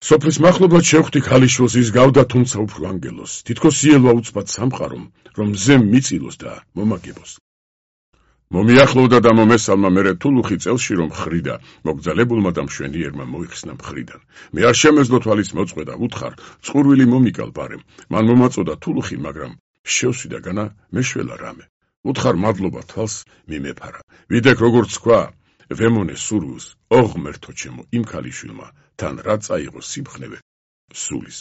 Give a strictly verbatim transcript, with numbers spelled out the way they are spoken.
სოფლის მახლობლად შევხვდი ქალიშვილს, ის გავდა თუმცა უფრო ანგელოს, თითქოს იელვა უცბად სამყარომ, რომ მზემ მიწილოს და მომაგებოს. მომიახლოვდა და მომესალმა მერე თულუხი წელში რომ ხრიდა, მოგძალებულმა და მშვენიერმა მოიხსნა მხრიდან. მე არ შემეძლო თვალის მოწყვე და უთხარ, წყურვილი მომიკალ ბარემ. მან მომაწოდა თულუხი, მაგრამ შევსვიდა განა მეშველა რამე. უთხარ მადლობა თვალს მიმეფარა. ვიდექ როგორც თქვა, ვემონე სურვილს, ოღმერთო ჩემო იმ ქალიშვილმა, თან რა წაიღო სიმხნევე სულის.